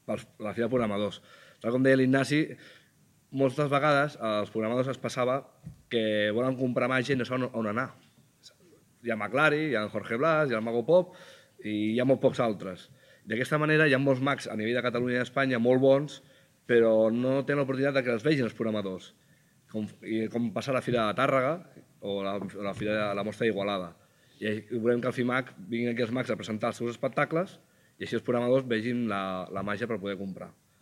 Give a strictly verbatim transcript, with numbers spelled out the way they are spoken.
per la Fira de Programadors. Tal com deia l'Ignasi, moltes vegades als programadors es passava que volen comprar màgia i no saben on anar. Hi ha McLaren, hi ha el Jorge Blas, hi ha el Mago Pop i hi ha molt pocs altres. D'aquesta manera hi ha molts mags a nivell de Catalunya i d'Espanya molt bons, però no tenen l'oportunitat que els vegin els programadors, com, i com passar a la Fira de Tàrrega o la, la, Fira de, la Mostra d'Igualada. I volem que al FIMAG vinguin aquí els mags a presentar els seus espectacles i així els programadors vegin la, la màgia per poder comprar.